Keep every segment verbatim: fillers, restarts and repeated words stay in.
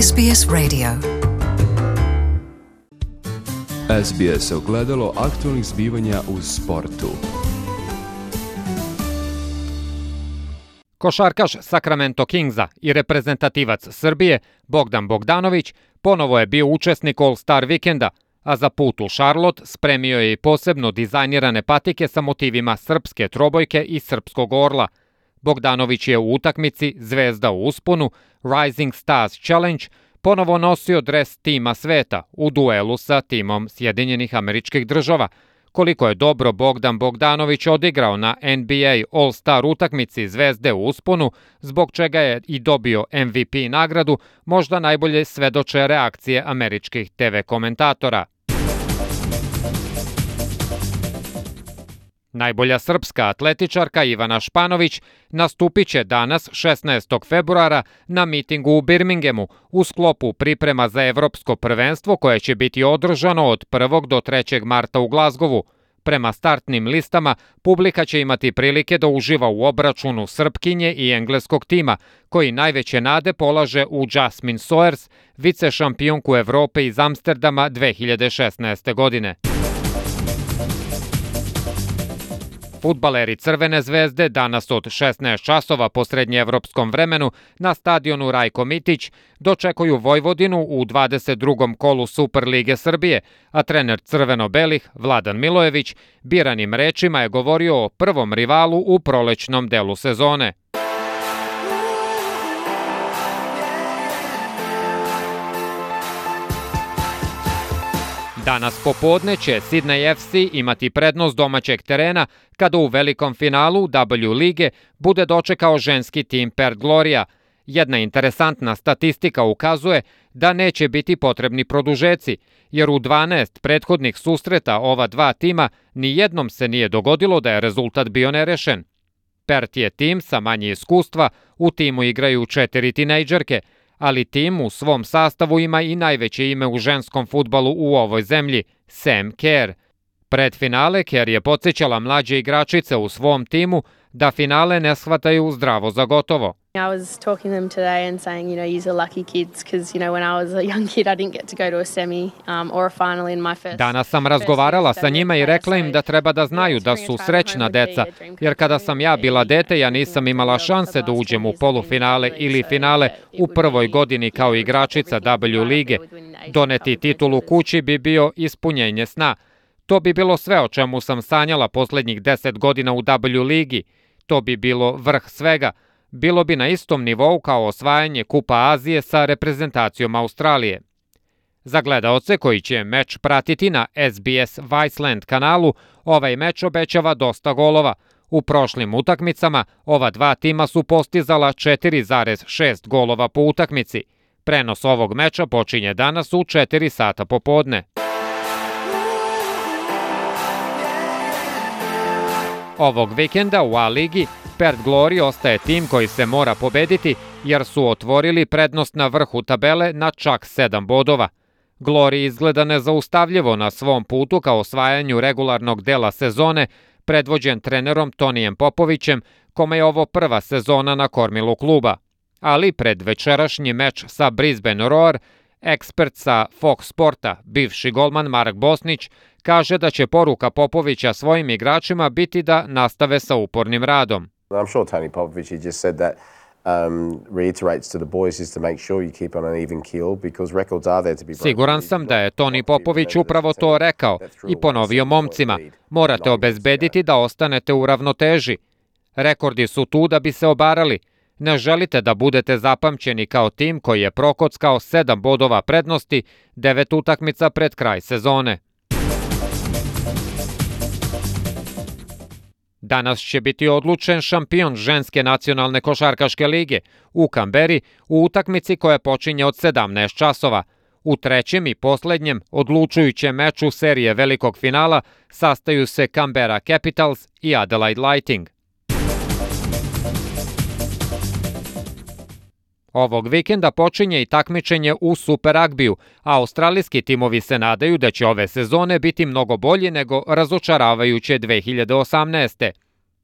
S B S Radio. S B S ogledalo aktualnih zbivanja u sportu. Košarkaš Sacramento Kingsa i reprezentativac Srbije Bogdan Bogdanović ponovo je bio učesnik All-Star vikenda, a za put u Charlotte spremio je i posebno dizajnirane patike sa motivima srpske trobojke i srpskog orla. Bogdanović je u utakmici Zvezda u usponu Rising Stars Challenge ponovo nosio dres tima sveta u duelu sa timom Sjedinjenih Američkih Država. Koliko je dobro Bogdan Bogdanović odigrao na N B A All-Star utakmici Zvezde u usponu, zbog čega je i dobio M V P nagradu, možda najbolje svedoče reakcije američkih T V komentatora. Najbolja srpska atletičarka Ivana Španović nastupit će danas šesnaestog februara na mitingu u Birminghamu u sklopu priprema za evropsko prvenstvo koje će biti održano od prvog do trećeg marta u Glazgovu. Prema startnim listama, publika će imati prilike da uživa u obračunu Srpkinje i engleskog tima, koji najveće nade polaže u Jasmine Sawyers, vice šampionku Evrope iz Amsterdama dve hiljade šesnaeste. godine. Fudbaleri Crvene zvezde danas od šesnaest časova po srednjeevropskom vremenu na stadionu Rajko Mitić dočekuju Vojvodinu u dvadeset drugom kolu Superlige Srbije, a trener crveno-belih Vladan Milojević biranim rečima je govorio o prvom rivalu u prolećnom delu sezone. Danas popodne će Sydney F C imati prednost domaćeg terena kada u velikom finalu W lige bude dočekao ženski tim Perth Gloria. Jedna interesantna statistika ukazuje da neće biti potrebni produžeci, jer u dvanaest prethodnih susreta ova dva tima ni jednom se nije dogodilo da je rezultat bio nerešen. Perth je tim sa manje iskustva, u timu igraju četiri tinejdžerke, ali tim u svom sastavu ima i najveće ime u ženskom fudbalu u ovoj zemlji, Sam Kerr. Pred finale Kerr je podsjećala mlađe igračice u svom timu da finale ne shvataju zdravo za gotovo. I was talking to them today and saying, you know, you're lucky kids because, you know, when I was a young kid I didn't get to go to a semi um, or a final in my first. Danas sam razgovarala sa njima i rekla im da treba da znaju da su srećna deca, jer kada sam ja bila dete ja nisam imala šanse da uđem u polufinale ili finale u prvoj godini kao igračica W lige. Doneti titulu kući bi bio ispunjenje sna. To bi bilo sve o čemu sam sanjala poslednjih deset godina u W ligi. To bi bilo vrh svega. Bilo bi na istom nivou kao osvajanje Kupa Azije sa reprezentacijom Australije. Za gledaoce koji će meč pratiti na S B S Viceland kanalu, ovaj meč obećava dosta golova. U prošlim utakmicama ova dva tima su postizala četiri zarez šest golova po utakmici. Prenos ovog meča počinje danas u četiri sata popodne. Ovog vikenda u A ligi Perth Glory ostaje tim koji se mora pobediti jer su otvorili prednost na vrhu tabele na čak sedam bodova. Glory izgleda nezaustavljivo na svom putu ka osvajanju regularnog dela sezone, predvođen trenerom Tonijem Popovićem, kome je ovo prva sezona na kormilu kluba. Ali pred večerašnji meč sa Brisbane Roar, ekspert sa Fox Sporta, bivši golman Mark Bosnić, kaže da će poruka Popovića svojim igračima biti da nastave sa upornim radom. I'm sure Tony Popovich he just said that um, reiterates to the boys is to make sure you keep on an even keel because records are there to be broken. Siguran sam da je Toni Popović upravo to rekao i ponovio momcima. Morate obezbediti da ostanete u ravnoteži. Rekordi su tu da bi se obarali. Ne želite da budete zapamćeni kao tim koji je prokockao sedam bodova prednosti, devet utakmica pred kraj sezone. Danas će biti odlučen šampion ženske nacionalne košarkaške lige u Kamberi u utakmici koja počinje od sedamnaest časova. U trećem i poslednjem odlučujućem meču serije velikog finala sastaju se Canberra Capitals i Adelaide Lightning. Ovog vikenda počinje i takmičenje u Super Ragbiju, a australijski timovi se nadaju da će ove sezone biti mnogo bolji nego razočaravajuće dve hiljade osamnaeste.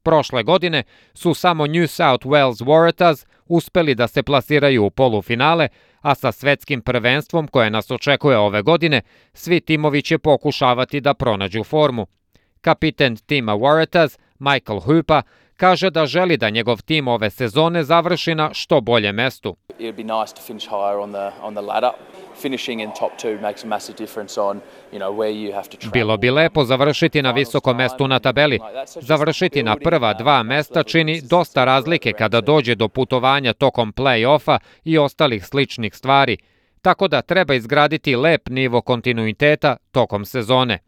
Prošle godine su samo New South Wales Waratahs uspeli da se plasiraju u polufinale, a sa svetskim prvenstvom koje nas očekuje ove godine, svi timovi će pokušavati da pronađu formu. Kapiten tima Waratahs, Michael Hooper, kaže da želi da njegov tim ove sezone završi na što bolje mestu. Bilo bi lepo završiti na visokom mestu na tabeli. Završiti na prva dva mesta čini dosta razlike kada dođe do putovanja tokom play-offa i ostalih sličnih stvari, tako da treba izgraditi lep nivo kontinuiteta tokom sezone.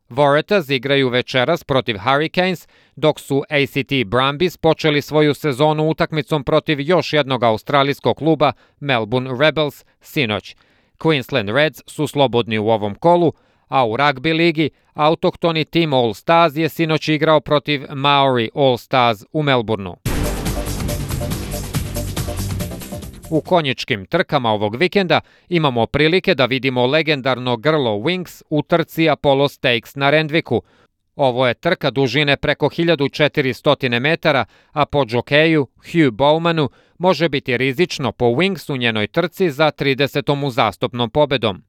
Waratahs igraju večeras protiv Hurricanes, dok su A C T Brumbies počeli svoju sezonu utakmicom protiv još jednog australijskog kluba Melbourne Rebels sinoć. Queensland Reds su slobodni u ovom kolu, a u ragbi ligi autohtoni tim All Stars je sinoć igrao protiv Maori All Stars u Melbourneu. U konjičkim trkama ovog vikenda imamo prilike da vidimo legendarno grlo Winx u trci Apollo Stakes na Randvicku. Ovo je trka dužine preko hiljadu četiristo metara, a po džokeju Hugh Bowmanu može biti rizično po Winx u njenoj trci za tridesetom uzastopnom pobedom.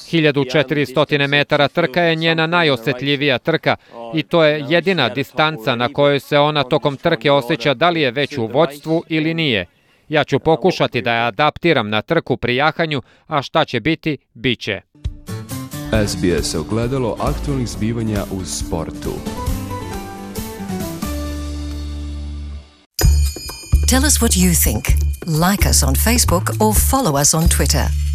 hiljadu četiristo metara trka je njena najosjetljivija trka i to je jedina distanca na kojoj se ona tokom trke osjeća da li je već u vođstvu ili nije. Ja ću pokušati da je adaptiram na trku pri jahanju, a šta će biti, bit će. S B S ogledalo aktualnih zbivanja u sportu. Tell us what you think. Like us on Facebook or follow us on Twitter.